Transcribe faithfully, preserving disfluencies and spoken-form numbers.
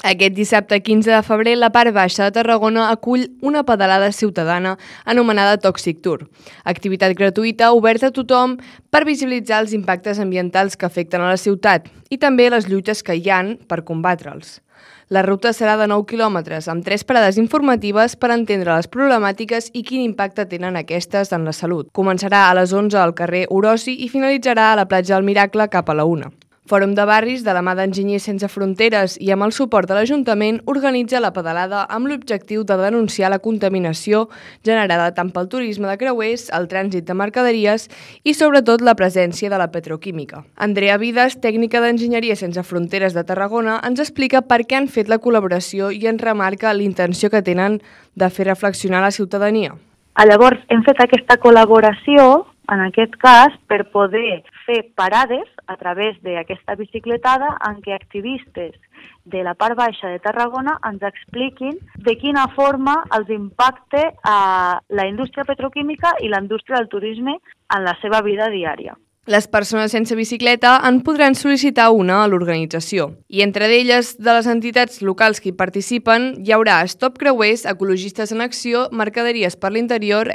Aquest dissabte quinze de febrer, la part baixa de Tarragona acull una pedalada ciutadana anomenada Toxic Tour, activitat gratuïta oberta a tothom per visibilitzar els impactes ambientals que afecten a la ciutat i també les lluites que hi han per combatre'ls. La ruta serà de nou quilòmetres, amb tres parades informatives per entendre les problemàtiques i quin impacte tenen aquestes en la salut. Començarà a les onze al carrer Orosi i finalitzarà a la platja del Miracle cap a la una. Fòrum de Barris, de la mà d'Enginyers Sense Fronteres i amb el suport de l'Ajuntament, organitza la pedalada amb l'objectiu de denunciar la contaminació generada tant pel turisme de creuers, el trànsit de mercaderies i sobretot la presència de la petroquímica. Andrea Vides, tècnica d'Enginyeria Sense Fronteres de Tarragona, ens explica per què han fet la col·laboració i ens remarca l'intenció que tenen de fer reflexionar la ciutadania. Llavors, hem fet aquesta col·laboració, en aquest cas, per poder fer parades a través d'aquesta bicicletada en què activistes de la part baixa de Tarragona ens expliquin de quina forma els impacta a la indústria petroquímica i la indústria del turisme en la seva vida diària. Les persones sense bicicleta en podran sol·licitar una a l'organització. I entre elles, de les entitats locals que hi participen, hi haurà Stop Creuers, Ecologistes en Acció, Mercaderies per l'Interior,